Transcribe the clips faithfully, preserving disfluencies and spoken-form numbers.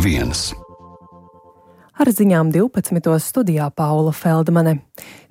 viens. Ar ziņām divpadsmitos studijā Paula Feldmane.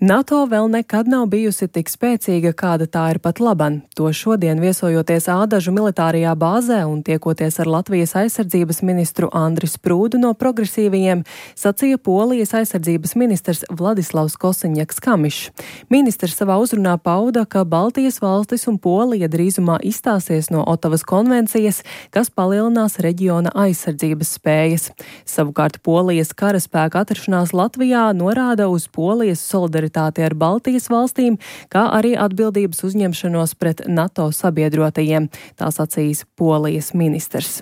NATO vēl nekad nav bijusi tik spēcīga, kāda tā ir pat laban. To šodien viesojoties Ādažu militārajā bāzē un tiekoties ar Latvijas aizsardzības ministru Andri Sprūdu no progresīvajiem, sacīja Polijas aizsardzības ministrs Vladislavs Kosiņaks-Kamišs. Ministrs savā uzrunā pauda, ka Baltijas valstis un Polija drīzumā izstāsies no Otavas konvencijas, kas palielinās reģiona aizsardzības spējas. Savukārt Polijas karaspēka atrašanās Latvijā norāda uz Polijas solidaritāti ar Baltijas valstīm, kā arī atbildības uzņemšanos pret NATO sabiedrotajiem, tā sacīs Polijas ministrs.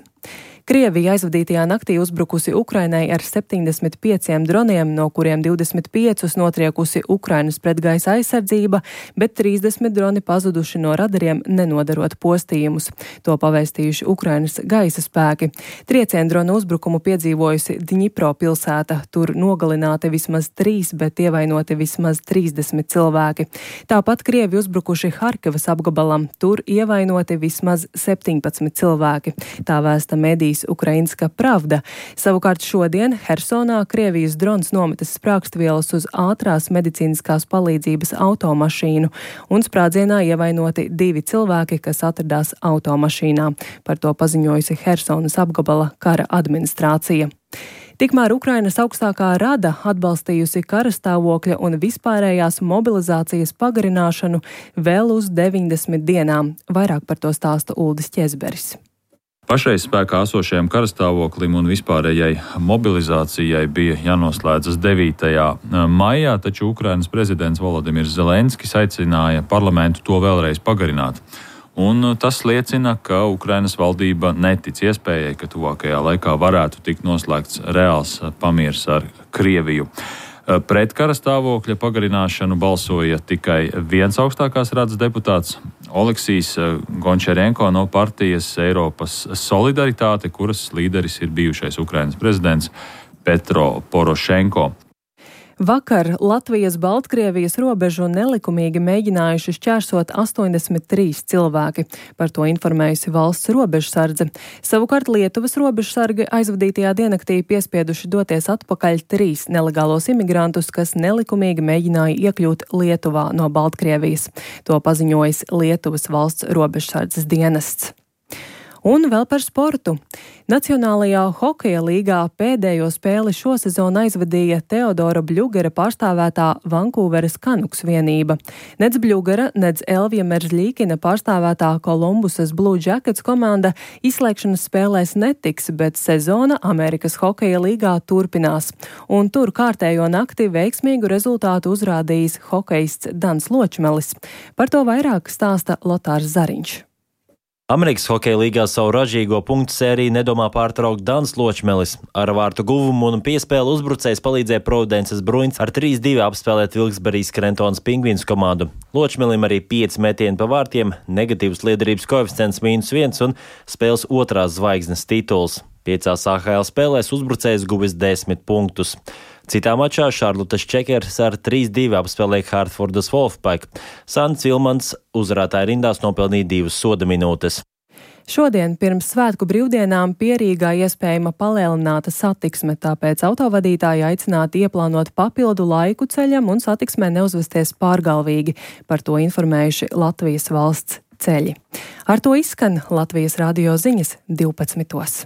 Krievija aizvadītajā naktī uzbrukusi Ukrainai ar septiņdesmit pieciem droniem, no kuriem divdesmit piecus notriekusi Ukrainas pretgaisa aizsardzība, bet trīsdesmit droni pazuduši no radariem, nenodarot postījumus. To pavēstījuši Ukrainas gaisa spēki. Triecienu dronu uzbrukumu piedzīvojusi Dņipro pilsēta. Tur nogalināti vismaz trīs, bet ievainoti vismaz trīsdesmit cilvēki. Tāpat Krievi uzbrukuši Harkivas apgabalam. Tur ievainoti vismaz septiņpadsmit cilvēki. Tā vēsta medijas Ukrainska Pravda. Savukārt šodien Hersonā Krievijas drons nometas sprāgstvielas uz ātrās medicīniskās palīdzības automašīnu, un sprādzienā ievainoti divi cilvēki, kas atradās automašīnā. Par to paziņojusi Hersonas apgabala kara administrācija. Tikmēr Ukrainas augstākā rada atbalstījusi karastāvokļa un vispārējās mobilizācijas pagarināšanu vēl uz deviņdesmit dienām. Vairāk par to stāsta Uldis Ķezberis. Pašreiz spēkā esošajam karastāvoklim un vispārējai mobilizācijai bija jānoslēdzas devītajā maijā, taču Ukrainas prezidents Volodimirs Zelenskis aicināja parlamentu to vēlreiz pagarināt. Un tas liecina, ka Ukrainas valdība netic iespējai, ka tuvākajā laikā varētu tikt noslēgts reāls pamiers ar Krieviju. Pret karastāvokļa pagarināšanu balsoja tikai viens augstākās radas deputāts Oleksijs Gončarenko no partijas Eiropas Solidaritāte, kuras līderis ir bijušais Ukrainas prezidents Petro Porošenko. Vakar Latvijas-Baltkrievijas robežu nelikumīgi mēģinājuši šķērsot astoņdesmit trīs cilvēki. Par to informējusi valsts robežsardze. Savukārt Lietuvas robežsargi aizvadītajā diennaktī piespieduši doties atpakaļ trīs nelegālos imigrantus, kas nelikumīgi mēģināja iekļūt Lietuvā no Baltkrievijas. To paziņojis Lietuvas valsts robežsardzes dienests. Un vēl par sportu. Nacionālajā hokeja līgā pēdējo spēli šosezon aizvadīja Teodora Bļugera pārstāvētā Vankūveras Canucks vienība. Nec Bļugera, nec Elvija Meržļīkina pārstāvētā Kolumbusas Blue Jackets komanda izslēgšanas spēlēs netiks, bet sezona Amerikas hokeja līgā turpinās. Un tur kārtējo nakti veiksmīgu rezultātu uzrādījis hokejists Dans Ločmelis. Par to vairāk stāsta Lotārs Zariņš. Amerikas hokeja līgā savu ražīgo punktu sēriju nedomā pārtraukt Dans Ločmelis. Ar vārtu guvumu un piespēli uzbrucējs palīdzēja Providences Bruins ar trīs divi apspēlēt Vilksberijas Krentonas Pingvīns komandu. Ločmelim arī pieci metieni pa vārtiem, negatīvs liederības koeficients mīnus viens un spēles otrās zvaigznes tituls. Piecās A H L spēlēs uzbrucējs guvis desmit punktus. Citā mačā Šarlotas Čekers ar trīs divi apspēlēja Hartfordas Wolfpack. Sants Vilmans uzvarētāja rindās nopelnīja divas soda minūtes. Šodien pirms svētku brīvdienām Pierīgā iespējama palielināta satiksme, tāpēc autovadītāji aicināti ieplānot papildu laiku ceļam un satiksmē neuzvesties pārgalvīgi. Par to informējuši Latvijas valsts ceļi. Ar to izskan Latvijas radio ziņas divpadsmitos.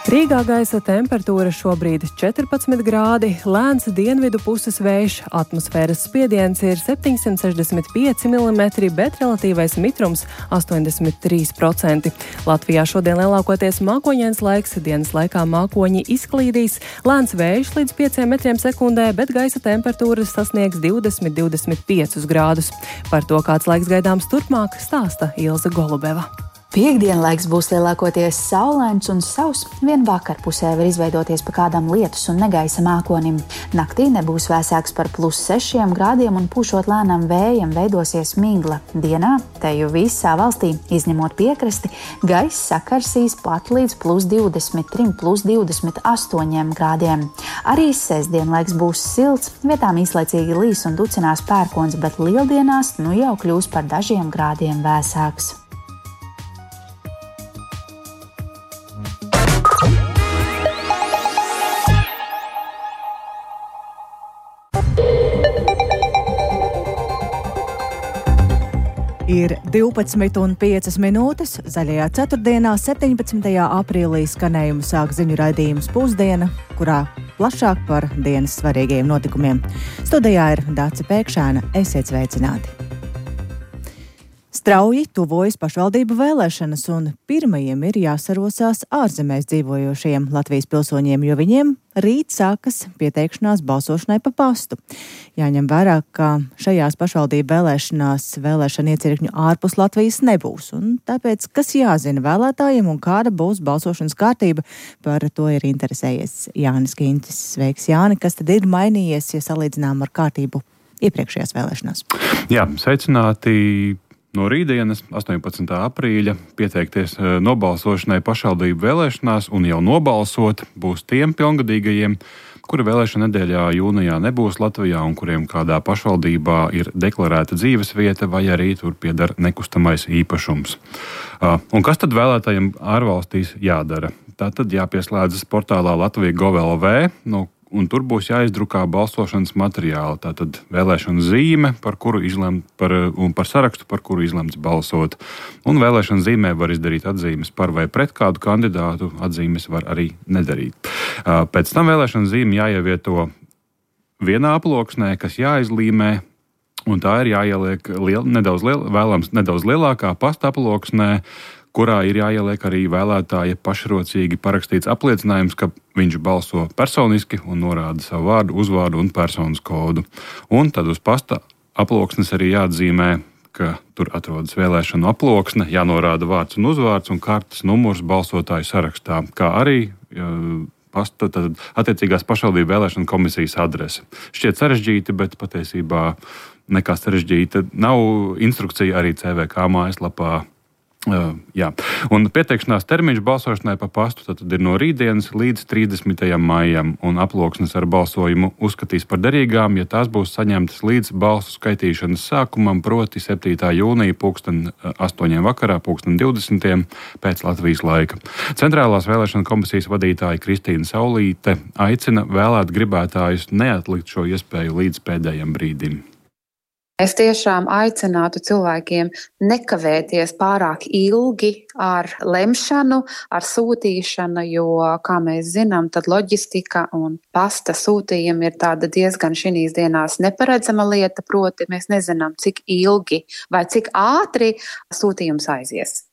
Rīgā gaisa temperatūra šobrīd četrpadsmit grādi, lēns dienvidu puses vējš, atmosfēras spiediens ir septiņsimt sešdesmit pieci milimetri, bet relatīvais mitrums astoņdesmit trīs procenti. Latvijā šodien lielākoties mākoņains laiks, dienas laikā mākoņi izklīdīs, lēns vējš līdz pieciem metriem sekundē, bet gaisa temperatūras sasniegs divdesmit līdz divdesmit piecus grādus. Par to, kāds laiks gaidāms turpmāk, stāsta Ilze Golubeva. Piektdienlaiks būs lielākoties saulains un sauss, vien vakarpusē var izveidoties pa kādam lietus un negaisa mākonim. Naktī nebūs vēsāks par plus sešiem grādiem un pūšot lēnam vējam veidosies migla. Dienā teju visā valstī, izņemot piekrasti, gaiss sakarsīs pat līdz plus divdesmit trim, plus divdesmit astoņiem grādiem. Arī sestdienlaiks būs silts, vietām īslaicīgi līs un ducinās pērkons, bet lieldienās nu jau kļūs par dažiem grādiem vēsāks. Ir divpadsmit un piecas minūtes. Zaļajā ceturtdienā, septiņpadsmitajā aprīlī skanējumu sāk ziņu raidījums Pusdiena, kurā plašāk par dienas svarīgajiem notikumiem. Studijā ir Dace Pēkšēna. Esiet sveicināti! Strauji tuvojas pašvaldību vēlēšanas, un pirmajiem ir jāsarosās ārzemēs dzīvojošajiem Latvijas pilsoņiem, jo viņiem rīt sākas pieteikšanās balsošanai pa pastu. Jāņem vērā, ka šajās pašvaldību vēlēšanās vēlēšana iecirkņu ārpus Latvijas nebūs, un tāpēc, kas jāzina vēlētājiem un kāda būs balsošanas kārtība, par to ir interesējies Jānis Kīntis. Sveiks, Jāni, kas tad ir mainījies, ja salīdzinām ar kārtību iepriekšējās vēlēšanās? Jā, sveicināti! No rītdienas, astoņpadsmitā aprīļa, pieteikties nobalsošanai pašvaldību vēlēšanās un jau nobalsot būs tiem pilngadīgajiem, kuri vēlēšana nedēļā jūnijā nebūs Latvijā un kuriem kādā pašvaldībā ir deklarēta dzīvesvieta vai arī tur pieder nekustamais īpašums. Un kas tad vēlētājiem ārvalstīs jādara? Tātad jāpieslēdzas portālā Latvija Gov L V, no un tur būs jāizdrukā balsošanas materiāli. Tātad vēlēšana zīme, par kuru izlemt, par, un par sarakstu, par kuru izlemts balsot. Un vēlēšana zīmē var izdarīt atzīmes par vai pret kādu kandidātu, atzīmes var arī nedarīt. Pēc tam vēlēšana zīme jāievieto vienā aploksnē, kas jāizlīmē, un tā ir jāieliek liel, nedaudz, liel, vēlams nedaudz lielākā pasta aploksnē, kurā ir jāieliek arī vēlētāja pašrocīgi parakstīts apliecinājums, ka viņš balso personiski un norāda savu vārdu, uzvārdu un personas kodu. Un tad uz pasta aploksnes arī jāatzīmē, ka tur atrodas vēlēšanu aploksne, jānorāda vārds un uzvārds un kartes numurs balsotāju sarakstā, kā arī pasta, tad attiecīgās pašvaldību vēlēšanu komisijas adrese. Šķiet sarežģīti, bet patiesībā nekā sarežģīta nav. Instrukcija arī C V K mājaslapā. Uh, jā. Un pieteikšanās termiņš balsošanai pa pastu tad ir no rītdienas līdz trīsdesmitajam maijam, un aploksnes ar balsojumu uzskatīs par derīgām, ja tās būs saņemtas līdz balsu skaitīšanas sākumam, proti septītā jūnija pulksten astoņiem vakarā, pulksten divdesmitiem pēc Latvijas laika. Centrālās vēlēšana komisijas vadītāja Kristīna Saulīte aicina vēlēt gribētājus neatlikt šo iespēju līdz pēdējiem brīdim. Es tiešām aicinātu cilvēkiem nekavēties pārāk ilgi ar lemšanu, ar sūtīšanu, jo, kā mēs zinām, tad loģistika un pasta sūtījumi ir tāda diezgan šīs dienās neparedzama lieta, proti mēs nezinām, cik ilgi vai cik ātri sūtījums aizies.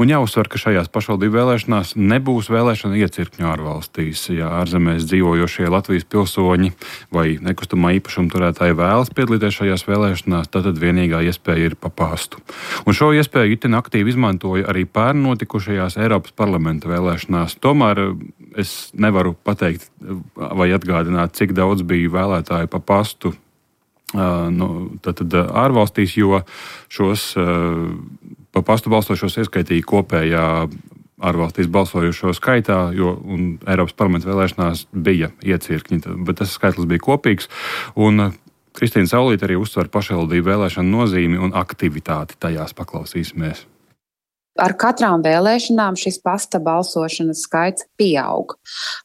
Un jāuzsver, ka šajās pašvaldību vēlēšanās nebūs vēlēšana iecirkņu ārvalstīs. Ja ārzemēs dzīvojošie Latvijas pilsoņi vai nekustamā īpašuma turētāji vēlas piedalīties šajās vēlēšanās, tad vienīgā iespēja ir pa pastu. Un šo iespēju itin aktīvi izmantoja arī pērn notikušajās Eiropas parlamenta vēlēšanās. Tomēr es nevaru pateikt vai atgādināt, cik daudz bija vēlētāju pa pastu uh, nu, tad, tad, ārvalstīs, jo šos uh, pa pastu balsošos ieskaitīja kopējā ārvalstīs balsojušo skaitā, jo Eiropas parlamenta vēlēšanās bija iecirkņi, bet tas skaitlis bija kopīgs. Un Kristīna Saulīte arī uzsver pašvaldību vēlēšanu nozīmi un aktivitāti tajās. Paklausīsimies. Ar katrām vēlēšanām šis pasta balsošanas skaits pieaug.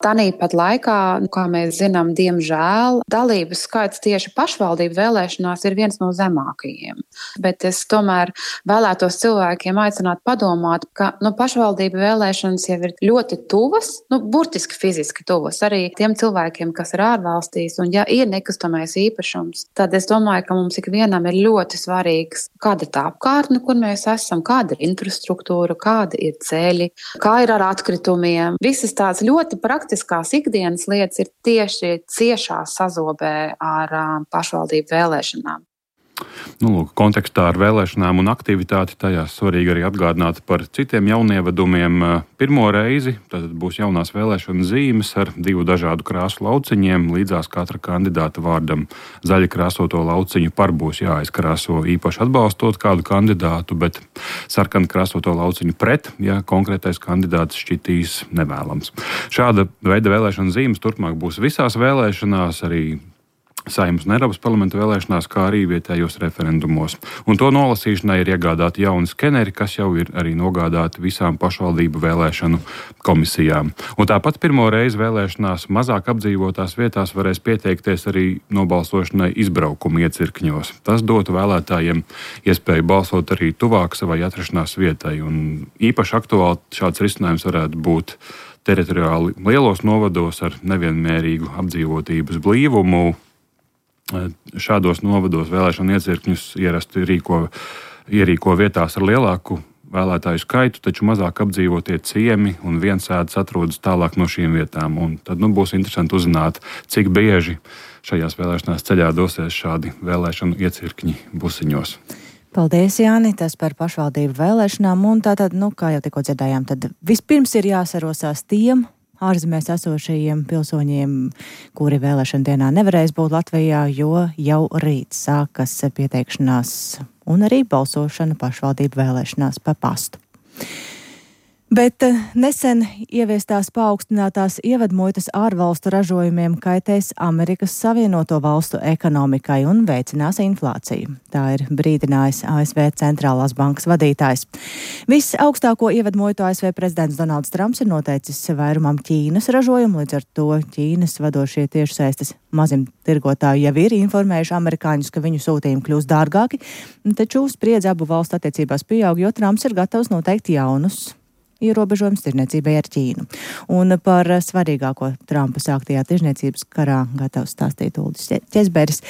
Tāpat laikā, kā mēs zinām, diemžēl dalības skaits tieši pašvaldību vēlēšanās ir viens no zemākajiem. Bet es tomēr vēlētos cilvēkiem aicināt padomāt, ka nu, pašvaldību vēlēšanas jau ir ļoti tuvas, nu, burtiski fiziski tuvas arī tiem cilvēkiem, kas ir ārvalstīs, un ja ir nekustamais īpašums, tad es domāju, ka mums ikvienam ir ļoti svarīgs, kāda tā apkārtne, kur mēs esam, kāda ir infrastruktūra, kāda ir ceļi, kā ir ar atkritumiem. Visas tās ļoti praktiskās ikdienas lietas ir tieši ciešā sazobē ar um, pašvaldību vēlēšanām. Nu, lūk, kontekstā ar vēlēšanām un aktivitāti tajās svarīgi arī atgādināt par citiem jaunievedumiem. Pirmo reizi tad būs jaunās vēlēšana zīmes ar divu dažādu krāsu lauciņiem. Līdzās katra kandidāta vārdam zaļa krāsoto lauciņu par būs jāizkrāso īpaši atbalstot kādu kandidātu, bet sarkana krāsoto lauciņu pret, ja konkrētais kandidāts šķitīs nevēlams. Šāda veida vēlēšana zīmes turpmāk būs visās vēlēšanās, arī Saeimas un Eiropas parlamenta vēlēšanās, kā arī vietējos referendumos. Un to nolasīšanai ir iegādāti jauni skeneri, kas jau ir arī nogādāti visām pašvaldību vēlēšanu komisijām. Un tāpat pirmo reizi vēlēšanās mazāk apdzīvotās vietās varēs pieteikties arī nobalsošanai izbraukuma iecirkņos. Tas dotu vēlētājiem iespēju balsot arī tuvāk savai atrašanās vietai. Un īpaši aktuāli šāds risinājums varētu būt teritoriāli lielos novados ar nevienmērīgu apdzīvotības blīvumu. Šādos novados vēlēšanu iecirkņus ierasti rīko, ierīko vietās ar lielāku vēlētāju skaitu, taču mazāk apdzīvotie ciemi un viensēdas atrodas tālāk no šīm vietām. Un tad nu, būs interesanti uzzināt, cik bieži šajās vēlēšanās ceļā dosies šādi vēlēšanu iecirkņi busiņos. Paldies, Jāni, tas par pašvaldību vēlēšanām. Un tātad, nu, kā jau tikko dzirdējām, tad vispirms ir jāsarosās tiem ārzemēs esošajiem pilsoņiem, kuri vēlēšana dienā nevarēs būt Latvijā, jo jau rīt sākas pieteikšanās un arī balsošana pašvaldību vēlēšanās pa pastu. Bet nesen ieviestās paaugstinātās ievadmuitas ārvalstu ražojumiem kaitēs Amerikas Savienoto Valstu ekonomikai un veicinās inflāciju. Tā ir brīdinājis A S V centrālās bankas vadītājs. Visaugstāko ievadmuitu A S V prezidents Donalds Trumps ir noteicis vairumam Ķīnas ražojumu, līdz ar to Ķīnas vadošie tiešsaistes mazumtirgotāji jau ir informējuši amerikāņus, ka viņu sūtījumi kļūs dārgāki, taču spriedze abu valstu attiecībās pieaug, jo Trumps ir gatavs noteikt jaunus ierobežojums tirniecībai ar Ķīnu. Un par svarīgāko Trumpa sāktajā tirniecības karā gatavs stāstīt Uldis Ķezberis.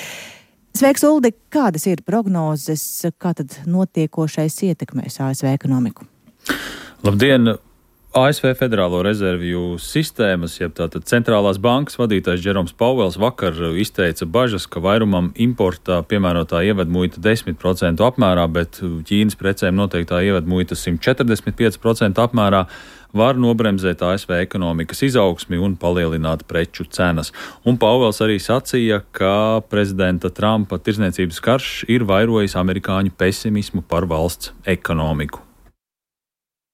Sveiks, Uldi! Kādas ir prognozes, kā tad notiekošais ietekmēs A S V ekonomiku? Labdien! A S V Federālo rezervju sistēmas, jeb tātad centrālās bankas vadītājs Džeroms Pauels vakar izteica bažas, ka vairumam importā piemērotā ievadmuita desmit procentu apmērā, bet Ķīnas precēm noteiktā ievadmuita simt četrdesmit pieci procenti apmērā var nobremzēt A S V ekonomikas izaugsmi un palielināt preču cenas. Un Pauels arī sacīja, ka prezidenta Trumpa tirdzniecības karš ir vairojis amerikāņu pesimismu par valsts ekonomiku.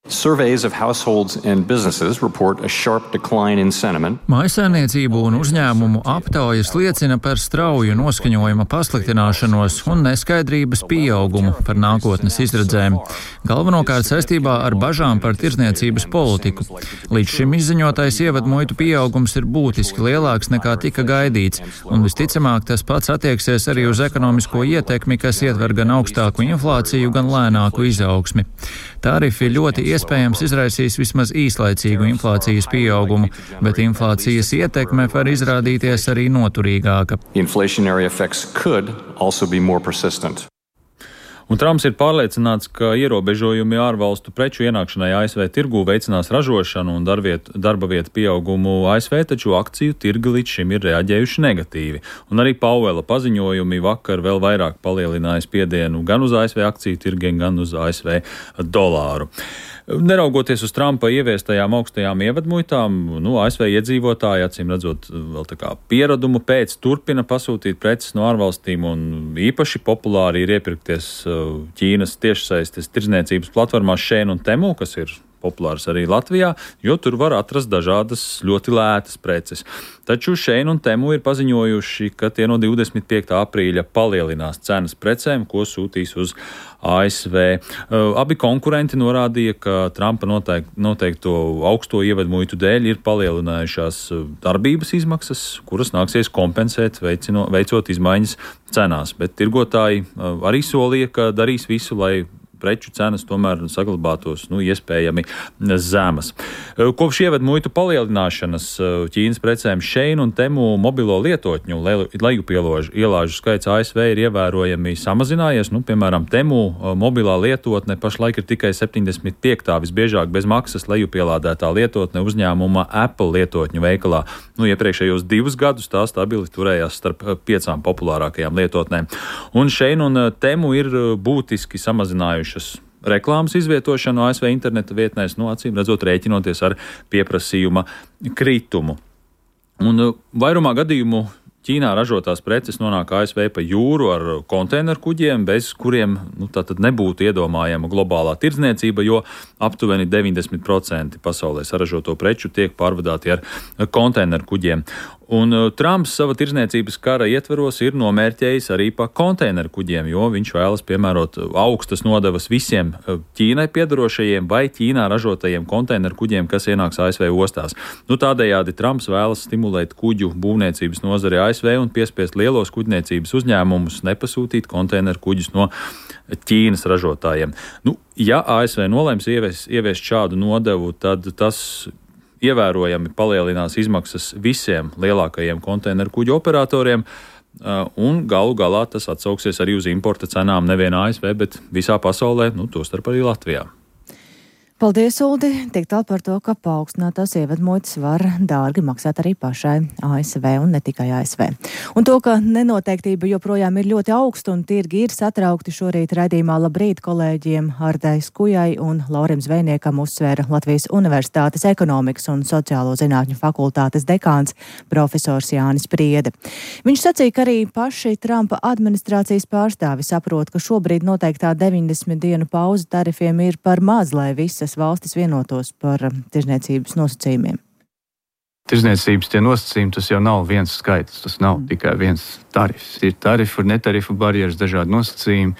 Surveys of households and businesses report a sharp decline in sentiment. Mājsaimniecību un uzņēmumu aptaujas liecina par strauju noskaņojuma pasliktināšanos un neskaidrības pieaugumu par nākotnes izredzēm, galvenokārt saistībā ar bažām par tirdzniecības politiku. Līdz šim izziņotais ievadmuitu pieaugums ir būtiski lielāks nekā tika gaidīts, un visticamāk tas pats attieksies arī uz ekonomisko ietekmi, kas ietver gan augstāku inflāciju, gan lēnāku izaugsmi. Tarifi ļoti iespējams izraisīs vismaz īslaicīgu inflācijas pieaugumu, bet inflācijas ietekme var izrādīties arī noturīgāka. Inflationary effects could also be more persistent. Un Trumps ir pārliecināts, ka ierobežojumi ārvalstu preču ienākšanai A S V tirgū veicinās ražošanu un darbvietu, darba vietu pieaugumu A S V, taču akciju tirgi līdz šim ir reaģējuši negatīvi. Un arī Pauela paziņojumi vakar vēl vairāk palielināja spiedienu gan uz A S V akciju tirgiem, gan uz A S V dolāru. Neraugoties uz Trumpa ieviestajām augstajām ievadmuitām, nu, A S V iedzīvotāji, acīm redzot, vēl tā kā pieradumu pēc turpina pasūtīt preces no ārvalstīm, un īpaši populāri ir iepirkties Ķīnas tiešsaistes tirdzniecības platformās Shein un Temu, kas ir populārs arī Latvijā, jo tur var atrast dažādas ļoti lētas preces. Taču Shein un Temu ir paziņojuši, ka tie no divdesmit piektā aprīļa palielinās cenas precēm, ko sūtīs uz A S V. Abi konkurenti norādīja, ka Trumpa noteik, noteikto augsto ievadmuitu dēļ ir palielinājušās darbības izmaksas, kuras nāksies kompensēt, veicino, veicot izmaiņas cenās. Bet tirgotāji arī solīja, ka darīs visu, lai preču cenas tomēr saglabātos nu, iespējami zemas. Kopš ievadmuitu palielināšanas Ķīnas precēm Shein un Temu mobilo lietotņu lejupielāžu skaits A S V ir ievērojami samazinājies. Nu, piemēram, Temu mobilā lietotne pašlaik ir tikai septiņdesmit piektā visbiežāk bez maksas lejupielādētā lietotne uzņēmuma Apple lietotņu veikalā. Nu, iepriekšējos divus gadus tā stabili turējās starp piecām populārākajām lietotnēm. Un Shein un Temu ir būtiski samazinājuši reklāmas izvietošanu A S V interneta vietnēs, nu, acīm redzot, rēķinoties ar pieprasījuma kritumu. Un vairumā gadījumu Ķīnā ražotās preces nonāk A S V pa jūru ar konteineru kuģiem, bez kuriem nu, tātad nebūtu iedomājama globālā tirdzniecība, jo aptuveni deviņdesmit procenti pasaulē saražoto preču tiek pārvadāti ar konteineru kuģiem. Un Trumps sava tirdzniecības kara ietveros ir nomērķējis arī pa konteineru kuģiem, jo viņš vēlas piemērot augstas nodevas visiem Ķīnai piedarošajiem vai Ķīnā ražotajiem konteineru kuģiem, kas ienāks A S V ostās. Nu, tādējādi Trumps vēlas stimulēt kuģu būvniecības nozari A S V un piespiest lielos kuģniecības uzņēmumus nepasūtīt konteineru kuģus no Ķīnas ražotājiem. Nu, ja A S V nolēms ievies, ieviest šādu nodevu, tad tas ievērojami palielinās izmaksas visiem lielākajiem konteineru kuģu operatoriem, un galu galā tas atsauksies arī uz importa cenām nevien A S V, bet visā pasaulē, nu, tostarp arī Latvijā. Paldies, Uldi! Tik tālu par to, ka paaugstinātās ievedmuitas var dārgi maksāt arī pašai A S V un ne tikai A S V. Un to, ka nenoteiktība joprojām ir ļoti augsta un tirgi ir satraukti, šorīt raidījumā Labrīt kolēģiem Hardai Skujai un Laurim Zvejniekam uzsvēra Latvijas Universitātes ekonomikas un sociālo zinātņu fakultātes dekāns profesors Jānis Priede. Viņš sacīja, ka arī paši Trumpa administrācijas pārstāvi saprot, ka šobrīd noteiktā deviņdesmit dienu pauze tarifiem ir par maz, lai visas valstis vienotos par tirzniecības nosacījumiem. Tirzniecības tie nosacījumi, tas jau nav viens skaits, tas nav mm. tikai viens tarifs. Ir tarifu un netarifu barjeras, dažādi nosacījumi,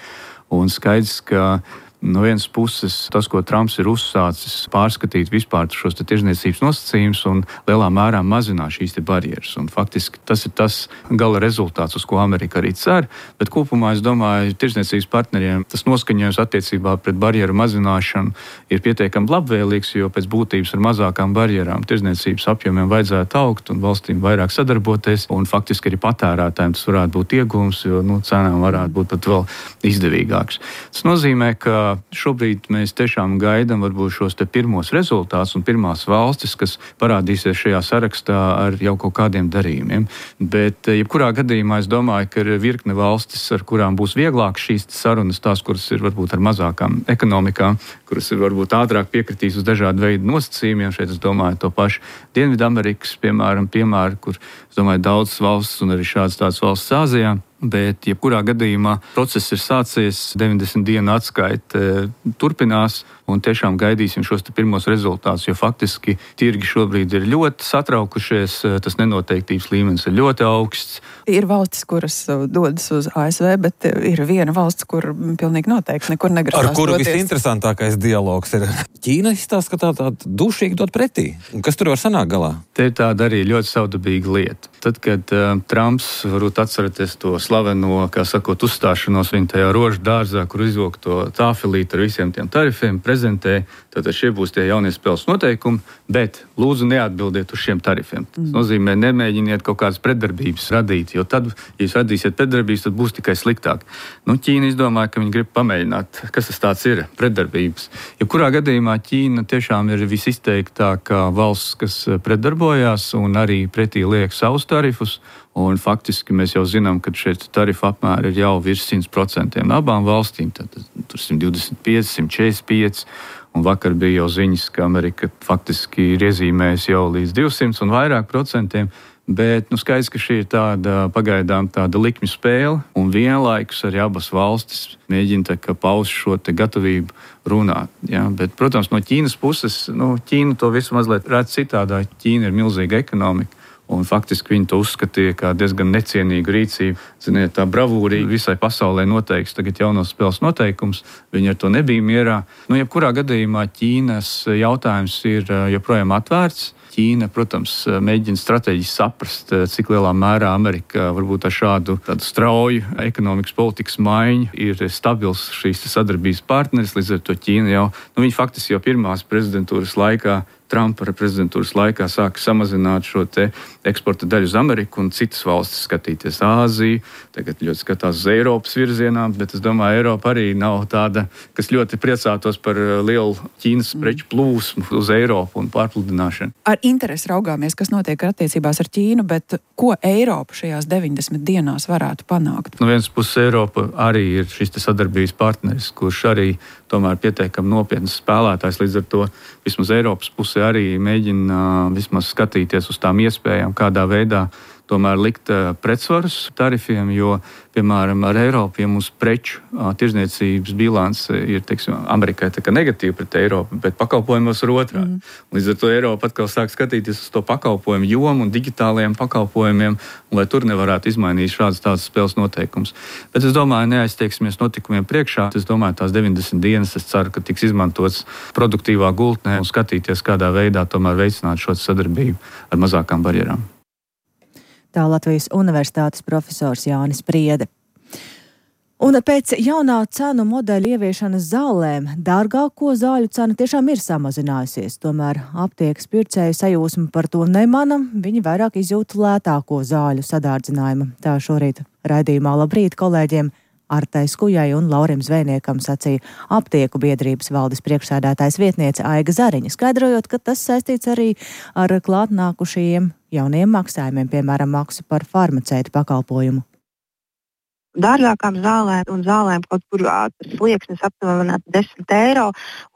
un skaidrs, ka no vienas puses tas, ko Trumps ir uzsācis, pārskatīt vispār šos tirzniecības nosacījumus un lielā mērā mazināt šīs barjeras. Un faktiski tas ir tas gala rezultāts, uz ko Amerika arī cer, bet kopumā es domāju, tirzniecības partneriem tas noskaņojums attiecībā pret barjeru mazināšanu ir pietiekami labvēlīgs, jo pēc būtības ar mazākām barjerām tirzniecības apjomiem vajadzētu augt un valstīm vairāk sadarboties, un faktiski arī patērētājiem tas varētu būt iegūms, jo nu, cenām varētu būt pat vēl izdevīgāks. Tas nozīmē, ka šobrīd mēs tiešām gaidām varbūt šos te pirmos rezultātus un pirmās valstis, kas parādīsies šajā sarakstā ar jau kaut kādiem darījumiem. Bet jebkurā gadījumā es domāju, ka ir virkne valstis, ar kurām būs vieglāk šīs sarunas, tās, kuras ir varbūt ar mazākām ekonomikām, kuras ir varbūt ātrāk piekritīs uz dažādu veidu nosacījumiem. Šeit es domāju to pašu Dienvidamerikas, piemēram, piemēru, kur es domāju daudzas valstis un arī šādas tādas valsts Āzijā. Bet, jebkurā gadījumā, process ir sācies, deviņdesmit dienu atskaite turpinās, un tiešām gaidīsim šos pirmos rezultātus, jo faktiski tirgi šobrīd ir ļoti satraukušies, tas nenoteiktības līmenis ir ļoti augsts. Ir valstis, kuras dodas uz A S V, bet ir viena valsts, kur pilnīgi noteikti nekur negrasās doties. Ar kuru visinteresantākais dialogs ir? Ķīna izstāsta, ka tā tāda dušīgi dot pretī. Kas tur var sanākt galā? Te ir tāda arī ļoti savdabīga lieta. Tad, kad uh, Trumps, varbūt atceraties to slaveno, kā sakot, uzstāšanos viņa tajā rožu dārzā, kur izvilk to tāfelīti ar visiem tiem tarifiem, prezentē, tad šie būs tie jaunie spēles noteikumi, bet lūdzu neatbildiet uz šiem tarifiem. Tas mm. nozīmē, nemēģiniet kaut kādas pretdarbības radīt, jo tad, ja jūs radīsiet pretdarbības, tad būs tikai sliktāk. Nu, Ķīna izdomāja, ka viņi grib pamēģināt, kas tas tāds ir, pretdarbības. Ja kurā gadījumā Ķīna tiešām ir visizteiktākā valsts, kas pretdarbojās un arī pretī liek savus tarifus, un faktiski mēs jau zinām, ka šeit tarifu apmēri ir jau virs simt procentiem no abām valstīm, tad tur simt divdesmit pieci, simt četrdesmit pieci, un vakar bija jau ziņas, ka Amerika faktiski ir iezīmējusi jau līdz divsimt un vairāk procentiem, bet nu, skaidrs, ka šī ir tāda pagaidām tāda likmju spēle, un vienlaikus arī abas valstis mēģina paust šo te gatavību runāt. Ja? Bet, protams, no Ķīnas puses, nu, Ķīna to visu mazliet redz citādā. Ķīna ir milzīga ekonomika. Un faktiski viņi to uzskatīja kā diezgan necienīgu rīcību. Ziniet, tā bravūrīgi visai pasaulē noteiks tagad jaunos spēles noteikums. Viņi ar to nebija mierā. Nu, jebkurā gadījumā Ķīnas jautājums ir joprojām atvērts. Ķīna, protams, mēģina strateģiski saprast, cik lielā mērā Amerika varbūt ar šādu tādu strauju ekonomikas politikas maiņu ir stabils šīs sadarbības partneris. Līdz ar to Ķīna jau, nu, viņi faktiski jau pirmās prezidentūras laikā, Trumpa prezidentūras laikā sāka samazināt šo te eksporta daļu uz Ameriku un citas valstis skatīties Āziju. Tagad ļoti skatās uz Eiropas virzienā, bet es domāju, Eiropa arī nav tāda, kas ļoti priecātos par lielu Ķīnas preču plūsmu uz Eiropu un pārpludināšanu. Ar interesi raugāmies, kas notiek attiecībās ar Ķīnu, bet ko Eiropa šajās deviņdesmit dienās varētu panākt? No vienas puses Eiropa arī ir šis sadarbības partneris, kurš arī tomēr pietiekami nopietnas spēlētājs, līdz ar to vismaz Eiropas pusē arī mēģina vismaz skatīties uz tām iespējām, kādā veidā tomēr likt pretsvarus tarifiem, jo, piemēram, ar Eiropu, ja mūsu preču tirzniecības bilance ir, teiksim, Amerikai tā kā negatīva pret Eiropu, bet pakalpojumos ir otrādi. Mm. Līdz ar to Eiropa atkal sāk skatīties uz to pakalpojumu jomu un digitālajiem pakalpojumiem, lai tur nevarētu izmainīt šādas tādas spēles noteikumus. Bet es domāju, neaizteiksimies notikumiem priekšā. Es domāju, tās deviņdesmit dienas, es ceru, ka tiks izmantots produktīvā gultnē un skatīties, kādā veidā tomēr veicināt šo sadarbību ar mazākām barjerām. Tā Latvijas Universitātes profesors Jānis Priede. Un pēc jaunā cenu modeļa ieviešanas zālēm dārgāko zāļu cena tiešām ir samazinājusies. Tomēr aptiekas pircēju sajūsmu par to nemana, viņi vairāk izjūt lētāko zāļu sadārdzinājumu. Tā šorīt raidījumā Labrīt kolēģiem Artai Skujai un Laurim Zvejniekam sacīja aptieku biedrības valdes priekšsēdētājs vietniece Aiga Zariņa, skaidrojot, ka tas saistīts arī ar klātnākušajiem jauniem maksājumiem, piemēram, maksu par farmaceitu pakalpojumu. Dārgākām zālēm un zālēm kaut kur tas slieksnis aptuveni desmit eiro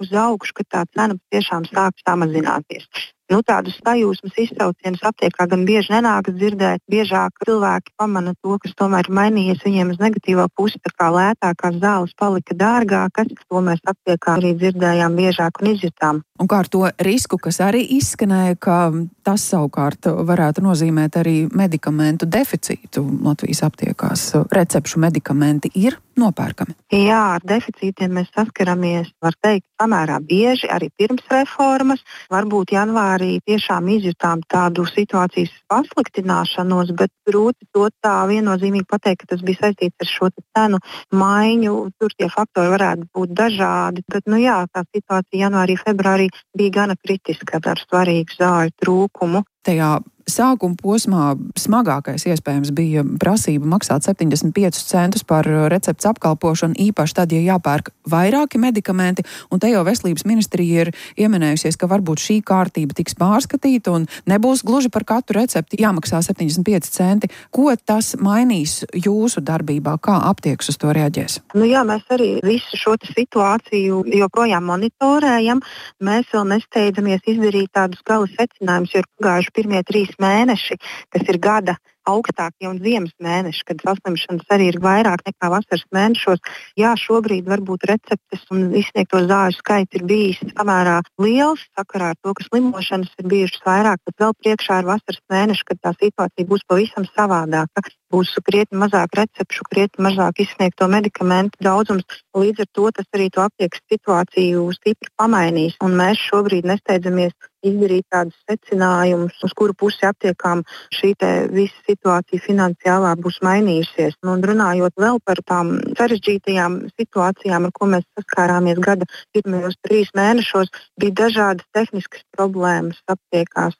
uz augšu, ka tā cena tiešām sāk samazināties. Nu, tādus sajūsmas iztraucienus aptiekā gan bieži nenākas dzirdēt, biežāk cilvēki pamana to, kas tomēr ir mainījies viņiem uz negatīvo pusi, tā kā lētākās zāles palika dārgākas, to mēs aptiekā arī dzirdējām biežāk un izjutām. Un kā ar to risku, kas arī izskanēja, ka tas savukārt varētu nozīmēt arī medikamentu deficītu Latvijas aptiekās. Recepšu medikamenti ir nopērkami. Jā, ar deficītiem mēs saskaramies, var teikt, samērā bieži, arī pirms reformas. Varbūt janvārī tiešām izjutām tādu situācijas pasliktināšanos, bet grūti to tā viennozīmīgi pateikt, ka tas bija saistīts ar šo cenu maiņu. Tur tie faktori varētu būt dažādi, bet, nu jā, tā situācija janvārī, februārī bija gana kritiska ar svarīgu zāļu trūkumu. Tajā sākuma posmā smagākais iespējams bija prasība maksāt septiņdesmit piecus centus par receptes apkalpošanu, īpaši tad, ja jāpērk vairāki medikamenti, un te jau veselības ministrija ir ieminējusies, ka varbūt šī kārtība tiks pārskatīta un nebūs gluži par katru recepti jāmaksā septiņdesmit pieci centi. Ko tas mainīs jūsu darbībā? Kā aptiekas uz to reaģēs? Nu jā, mēs arī visu šo situāciju joprojām monitorējam. Mēs vēl nesteidzamies izdarīt tādus gala secinājumus, jo ir pagājuši pirmie trīs mēneši, kas ir gada augstākie un ziemas mēneši, kad saslimšanas arī ir vairāk nekā vasaras mēnešos. Jā, šobrīd varbūt receptes un izsniegto zāļu skaits ir bijis samērā liels, sakarā ar to, ka slimošanas ir bijušas vairāk, bet vēl priekšā ir vasaras mēneši, kad tā situācija būs pavisam savādāka. Būs krietni mazāk recepšu, krietni mazāk izsniegto medikamentu daudzums. Līdz ar to tas arī to aptiekas situāciju stipri pamainīs. Un mēs šobrīd nesteidzamies izdarīt tādus secinājumus, uz kuru pusi aptiekām šī te visa situācija finansiālā būs mainījusies. Un runājot vēl par tām sarežģītajām situācijām, ar ko mēs saskārāmies gada pirmajos trīs mēnešos, bija dažādas tehniskas problēmas aptiekās.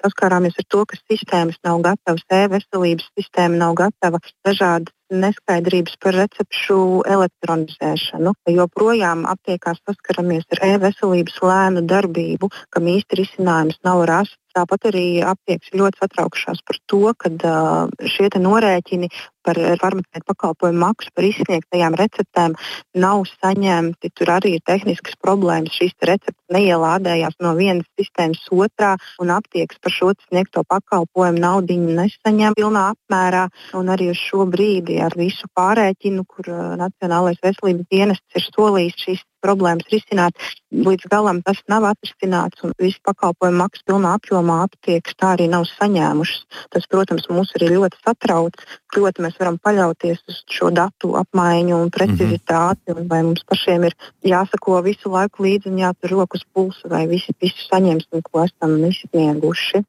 Saskārāmies ar to, ka sistēmas nav gatavas, e-veselības sistēma nav gatava, dažādas neskaidrības par recepšu elektronizēšanu. Joprojām aptiekās saskaramies ar e-veselības lēnu darbību, kam īsti risinājums nav rasts. Tāpat arī aptiekas ļoti satraukušās par to, ka uh, šie te norēķini par farmaceitu pakalpojumu maksu par izsniegtajām receptēm nav saņemti. Tur arī ir tehniskas problēmas. Šīs receptes neielādējās no vienas sistēmas otrā, un aptiekas par šo sniegto pakalpojumu naudiņu nesaņem pilnā apmērā. Un arī uz šo brīdi ar visu pārēķinu, kur uh, Nacionālais veselības dienests ir solījis šīs problēmas risināt, līdz galam tas nav atrisināts, un visu pakalpojumu maksu pilnā apjomā aptiekas tā arī nav saņēmušas. Tas, protams, mūs arī ļoti satrauc. Proti, mēs varam paļauties uz šo datu apmaiņu un precizitāti, un vai mums pašiem ir jāsako visu laiku līdzi un jātur rokas pulsu, vai visi visu saņemsim, ko esam izsnieguši.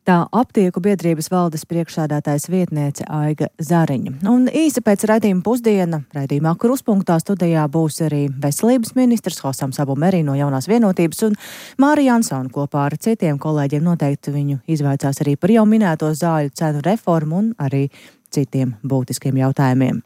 Tā aptieku biedrības valdes priekšsēdētājas vietniece Aiga Zariņa. Un īsi pēc raidījuma pusdiena, raidījumā Kruspunktā studijā būs arī veselības ministrs Hosams Abu Merī no Jaunās vienotības un Mārija Ansona kopā ar citiem kolēģiem noteikti viņu izvaicās arī par jau minēto zāļu cenu reformu un arī citiem būtiskiem jautājumiem.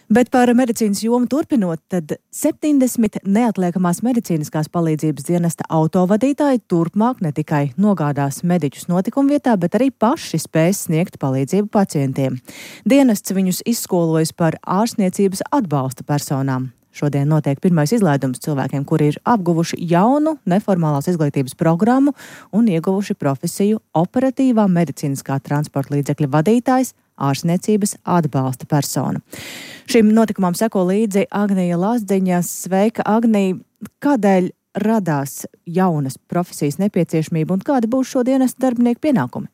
Bet par medicīnas jomu turpinot, tad septiņdesmit neatliekamās medicīniskās palīdzības dienesta autovadītāji turpmāk ne tikai nogādās mediķus notikumvietā, bet arī paši spēs sniegt palīdzību pacientiem. Dienests viņus izskolojas par ārstniecības atbalsta personām. Šodien notiek pirmais izlaidums cilvēkiem, kuri ir apguvuši jaunu neformālās izglītības programmu un ieguvuši profesiju operatīvā medicīniskā transporta līdzekļa vadītājs, ārstniecības atbalsta persona. Šim notikumam seko līdzi Agnija Lazdiņa. Sveika, Agnija! Kādēļ radās jaunas profesijas nepieciešamība un kādi būs šo dienestu darbinieku pienākumi?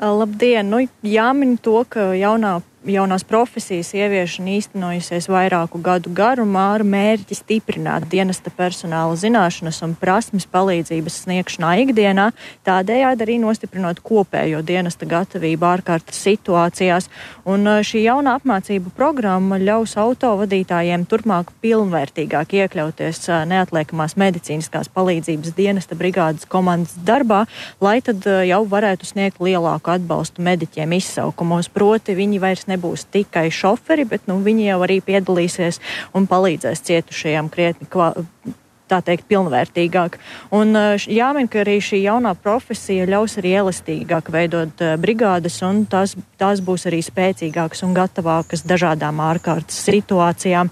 Labdien! Nu, jāmin to, ka jaunā jaunās profesijas ieviešana īstenojusies vairāku gadu garumā ar mērķi stiprināt dienesta personāla zināšanas un prasmes palīdzības sniegšanā ikdienā, tādējādi arī nostiprinot kopējo dienesta gatavību ārkārtas situācijās. Un šī jaunā apmācību programma ļaus autovadītājiem turpmāk pilnvērtīgāk iekļauties neatliekamās medicīniskās palīdzības dienesta brigādes komandas darbā, lai tad jau varētu sniegt lielāku atbalstu mediķiem izsaukumos. Proti viņi vairs nebūs tikai šoferi, bet nu, viņi jau arī piedalīsies un palīdzēs cietušajiem krietni kvā, tā teikt, pilnvērtīgāk. Un jāmin, ka arī šī jaunā profesija ļaus arī elastīgāk veidot brigādes, un tās, tās būs arī spēcīgākas un gatavākas dažādām ārkārtas situācijām.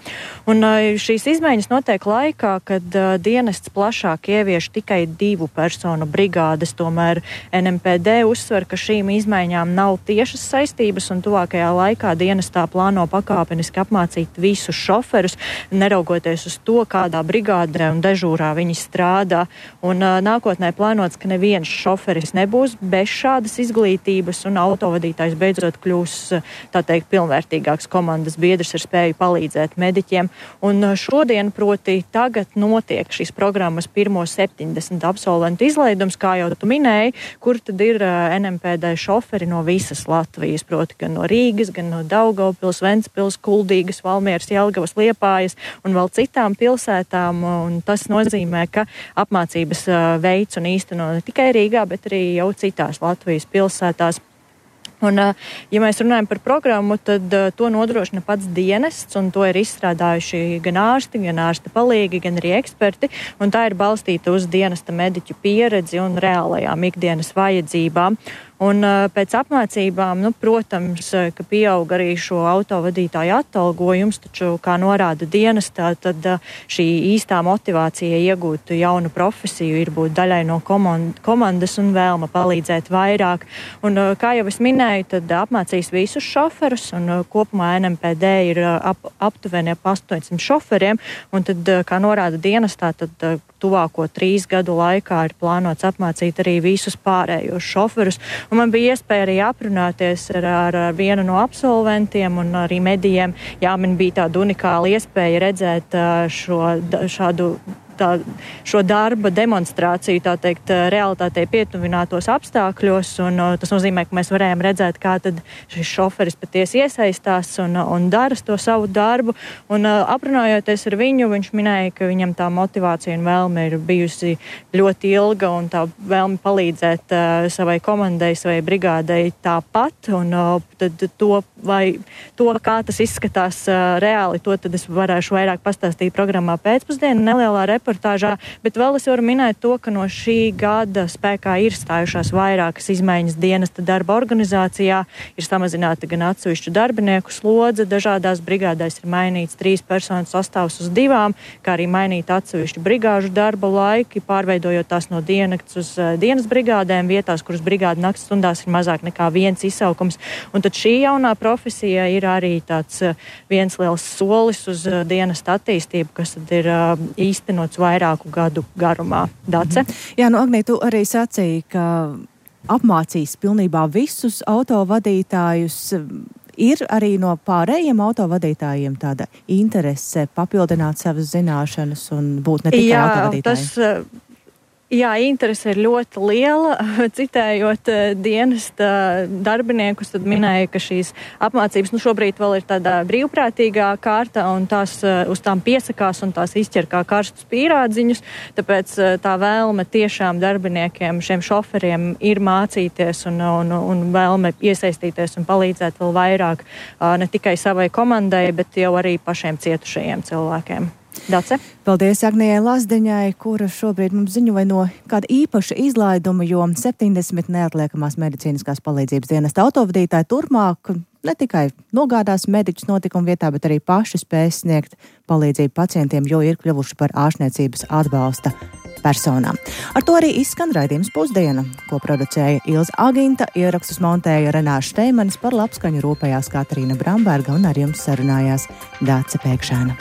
Un šīs izmaiņas notiek laikā, kad dienests plašāk ievieš tikai divu personu brigādes. Tomēr N M P D uzsver, ka šīm izmaiņām nav tiešas saistības, un tuvākajā laikā dienestā plāno pakāpeniski apmācīt visus šoferus, neraugoties uz to, kādā brigādē un dežūrā viņi strādā. Un uh, nākotnē plānots, ka neviens šoferis nebūs bez šādas izglītības, un autovadītājs beidzot kļūs, tā teikt, pilnvērtīgāks komandas biedrs ar spēju palīdzēt mediķiem. Un uh, šodien, proti tagad, notiek šīs programmas pirmo septiņdesmit absolventu izlaidums, kā jau tu minēji, kur tad ir uh, N M P D šoferi no visas Latvijas, proti gan no Rīgas, gan no Daugavpils, Ventspils, Kuldīgas, Valmieras, Jelgavas, Liepājas un vēl citām pilsētām. Un tas nozīmē, ka apmācības veids un īsteno ne tikai Rīgā, bet arī jau citās Latvijas pilsētās. Un, ja mēs runājam par programmu, tad to nodrošina pats dienests, un to ir izstrādājuši gan ārsti, gan ārsta palīgi, gan arī eksperti, un tā ir balstīta uz dienesta mediķu pieredzi un reālajām ikdienas vajadzībām. Un pēc apmācībām, nu, protams, ka pieaug arī šo autovadītāju atalgojums, taču, kā norāda dienestā, tad šī īstā motivācija iegūt jaunu profesiju ir būt daļai no komandas un vēlme palīdzēt vairāk. Un, kā jau es minēju, tad apmācīs visus šoferus, un kopumā N M P D ir ap, aptuveni ap astoņsimt šoferiem, un tad, kā norāda dienestā, tad tuvāko trīs gadu laikā ir plānots apmācīt arī visus pārējos šoferus. Un man bija iespēja arī aprunāties ar, ar, ar vienu no absolventiem un arī medijiem. Jā, man bija tāda unikāla iespēja redzēt šo, šādu tā, šo darba demonstrāciju, tā teikt, realitātei pietuvinātos apstākļos, un tas nozīmē, ka mēs varējām redzēt, kā tad šis šoferis patiesi iesaistās un, un dara to savu darbu. Un aprunājoties ar viņu, viņš minēja, ka viņam tā motivācija un vēlme ir bijusi ļoti ilga, un tā vēlme palīdzēt uh, savai komandai, savai brigādei tāpat, un uh, tad to, vai, to, kā tas izskatās uh, reāli, to tad es varēšu vairāk pastāstīt programmā pēcpusdienu, nelielā reportāžā, bet vēl es varu minēt to, ka no šī gada spēkā ir stājušās vairākas izmaiņas dienesta darba organizācijā, ir samazināta gan atsevišķu darbinieku slodze, dažādās brigādēs ir mainīts trīs personu sastāvs uz divām, kā arī mainīta atsevišķu brigāžu darba laiki, pārveidojot tās no diennakts uz uh, dienas brigādēm, vietās, kuras brigāda nakts stundās ir mazāk nekā viens izsaukums. Un tad šī jaunā profesija ir arī tāds uh, viens liels solis uz uh, dienesta attīstību, kas tad ir uh, īstenots vairāku gadu garumā. Dace? Jā, nu, Agnija, tu arī sacīji, ka apmācīs pilnībā visus autovadītājus. Ir arī no pārējiem autovadītājiem tāda interese papildināt savas zināšanas un būt ne tikai Jā, autovadītāji? Tas, Jā, interese ir ļoti liela. Citējot dienesta darbiniekus, tad minēja, ka šīs apmācības nu, šobrīd vēl ir tādā brīvprātīgā kārta, un tās uz tām piesakās un tās izķer kā karstus pīrādziņus. Tāpēc tā vēlme tiešām darbiniekiem, šiem šoferiem ir mācīties un, un, un vēlme iesaistīties un palīdzēt vēl vairāk ne tikai savai komandai, bet jau arī pašiem cietušajiem cilvēkiem. Dace. Paldies Agnijai Lazdiņai, kura šobrīd mums ziņoja no kāda īpaša izlaiduma, jo septiņdesmit neatliekamās medicīniskās palīdzības dienesta autovadītāji turpmāk ne tikai nogādās mediķus notikuma vietā, bet arī paši spēs sniegt palīdzību pacientiem, jo ir kļuvuši par ārstniecības atbalsta personām. Ar to arī izskan raidījums Pusdiena, ko producēja Ilze Aginta, ierakstus montēja Renāša Šteimanis, par labskaņu rūpējās Katrīna Bramberga un ar jums sarunājās Dāce Pēkšēna.